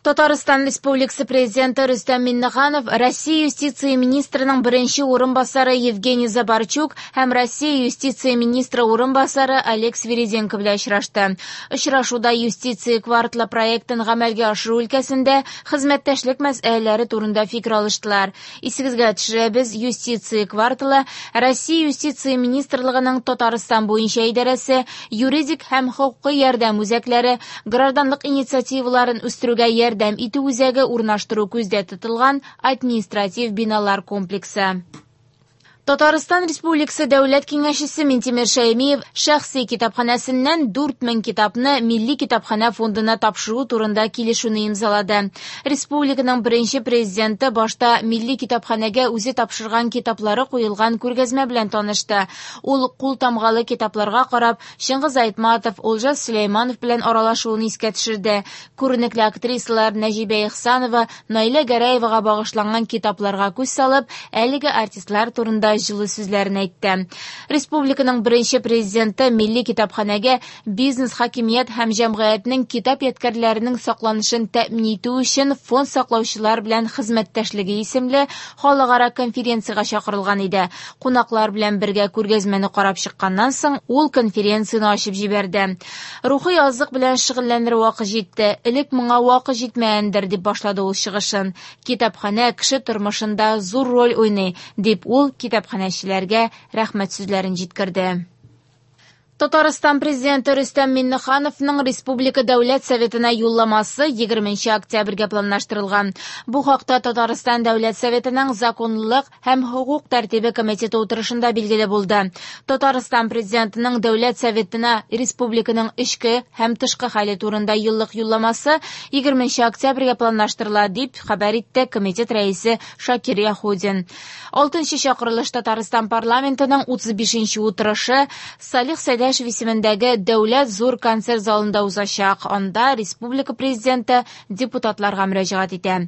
Татарстан Республикасы Президенты Рөстәм Миңнеханов Россия юстиция министрының беренче урынбасары Евгений Забарчук һәм Россия юстиция министры урынбасары Олег Свириденко белән очрашты. Очрашуда юстиция кварталы проектын гамәлгә ашыру өлкәсендә хезмәттәшлек мәсьәләләре турында фикер алыштылар. Исегезгә төшерәбез, юстиция кварталы Россия юстиция министрлыгының Татарстан буенча идарәсе, юридик һәм хокукый ярдәм үзәкләре, гражданлык инициативаларын үстерүгә ярдәм итү үзәге урнаштыру күздә тотылган административ биналар комплексы. Татарстан Республикасы Дәүләт Киңәшчесе Минтимер Шәймиев шәхси китапханәсеннән 4000 китапны Милли китапханә фондына тапшыру турында килешүне имзалады. Республиканың беренче президенты башта Милли китапханәгә үзе тапшырган китаплары куелган күргәзмә белән танышты. Ул кул тамгалы китапларга карап, Чыңгыз Айтматов, Олжас Сөләйманов белән аралашуын искә төшерде. Күренекле актрисалар Нәҗибә Ихсанова, Наилә Гәрәевага багышланган китапларга күз салып, әлеге артистлар турында җылы сүзләрен әйтте. Республиканың беренче президенты Милли китапханәгә бизнес, хакимият һәм җәмгыятьнең китап ядкәрләренең сакланышын тәэмин итү өчен фонд саклаучылар белән хезмәттәшлеге исемле халыкара конференциягә чакырылган иде. Кунаклар белән бергә күргәзмәне карап чыкканнан соң, ул конференцияне ачып җибәрде. Рухи азык белән шөгыльләнер вакыт җитте. Элек моңа вакыт җитмәгәндер, дип башлады ул чыгышын. Китапханә кеше тормышында зур роль уйный, дип ул китапханәчеләргә рәхмәт сүзләрен җиткерде. Татарстан Президенты Рөстәм Миңнехановның Республика Дәүләт Советына юлламасы 20 октябрьгә планлаштырылган. Бу хакта Татарстан Дәүләт Советының Законлылык һәм хокук тәртибе комитеты утырышында билгеле булды. Татарстан Президентының Дәүләт Советына республиканың эчке һәм тышкы хәле турында еллык юлламасы 20 октябрьгә планлаштырыла, дип хәбәр итте комитет рәисе Шакир Яһудин. Алтынчы чакырылыш Татарстан парламентының 35 утырышы Салих Сәйдәшев исемендәге Дәүләт зур концерт залында узачак. Анда республика президенты депутатларга мөрәҗәгать итә.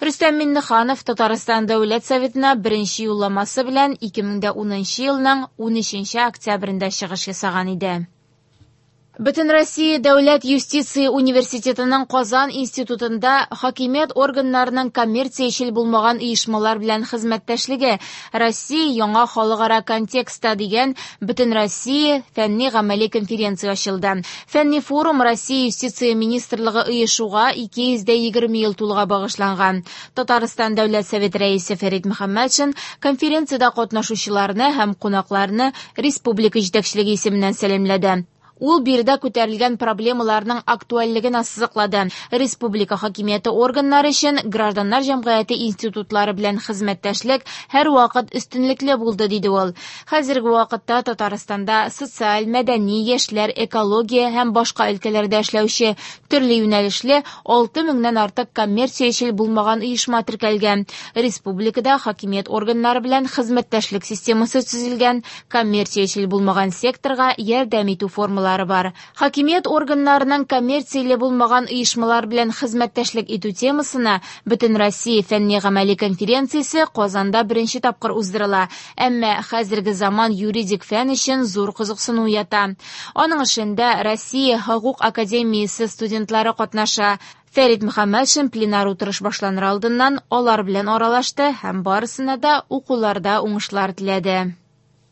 Рөстәм Миңнеханов Татарстан Дәүләт Советына беренче юлламасы белән 2010 елның 13 октябрендә чыгыш ясаган иде. Бөтенроссия дәүләт юстиция университетының Казан институтында хакимият органнарының коммерциячел булмаган оешмалар белән хезмәттәшлеге Россия яңа халыкара контекстта дигән Бөтенроссия фәнни-гамәли конференция ачылды. Фәнни форум Россия юстиция министрлыгы оешуга 220 ел тулуга багышланган. Татарстан Дәүләт Советы рәисе Фәрит Мөхәммәтшин конференциядә катнашучыларны һәм кунакларны республика җитәкчелеге исеменнән сәламләде. Ул биредә күтәрелгән проблемаларның актуальлеген ассызыклады. Республика хакимияте органнары өчен гражданнар җәмгыяте институтлары белән хезмәттәшлек һәрвакыт өстенлекле булды, диде ул. Хәзерге вакытта Татарстанда социаль, мәдәни, яшьләр, экология һәм башка өлкәләрдә эшләүче төрле юнәлешле 6 меңнән артык коммерциячел булмаган оешма теркәлгән. Республикада хакимият органнары белән хезмәттәшлек системасы төзелгән, коммерциячел булмаган секторга ярдәм итү формалары бар. Хакимият органнарының коммерцияле булмаган оешмалар белән хезмәттәшлек итү темасына Бөтенроссия фәнни-гамәли конференциясе Казанда беренче тапкыр уздырыла. Әмма хәзерге заман юридик фән өчен зур кызыксыну уята. Аның эшендә Россия хокук академиясе студентлары катнаша. Фәрит Мөхәммәтшин пленар утырыш башланыр алдыннан алар белән аралашты һәм барысына да укуларда уңышлар теләде.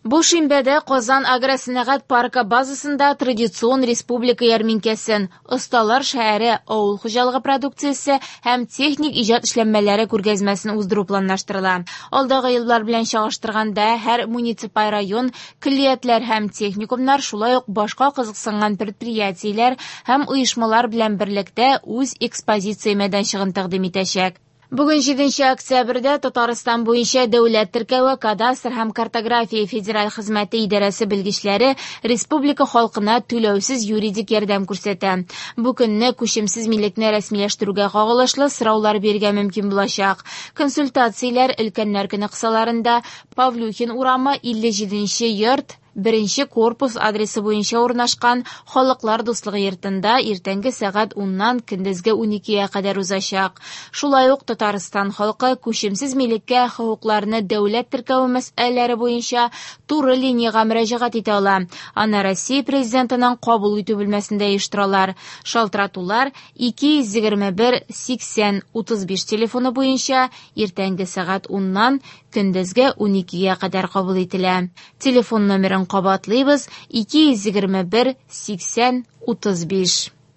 Бу шимбәдә Казан агросәнәгать паркы базасында традицион республика ярминкәсен, Осталар шәһәре авыл хуҗалыгы продукциясе һәм техник иҗат эшләнмәләре күргәзмәсен уздыру планлаштырыла. Алдагы еллар белән чагыштырганда һәр муниципаль район, көллиятләр һәм техникумнар, шулай ук башка кызыксынган предприятиеләр һәм оешмалар белән берлектә үз экспозиция мәйданчыгын тәкъдим итәчәк. Бүген 7 октябрьдә Татарстан буенча дәүләт теркәве, кадастр һәм картография федераль хезмәте идарәсе белгечләре республика халкына түләүсез юридик ярдәм күрсәтә. Бу көнне күчемсез милекне рәсмиләштерүгә кагылышлы сораулар бирергә мөмкин булачак. Консультацияләр өлкәннәр көне кысаларында Павлюхин урамы 57 йорт Беренче корпус адресы буенча урнашкан Халыклар дуслыгы йортында иртәнге сәгать уннан көндезге 12гә кадәр узачак. Шулай ук Татарстан халкы күчемсез милеккә хокукларны дәүләт теркәве мәсьәләләре буенча туры линиягә мөрәҗәгать итә ала. Аны Россия Президентының кабул итү бүлмәсендә оештыралар. Шалтыратулар 221 80 35 телефоны буенча иртәнге сәгать уннан көндезге 12гә кадәр кабул ителә. Телефон номерын кабатлыйбыз: 221 80 35.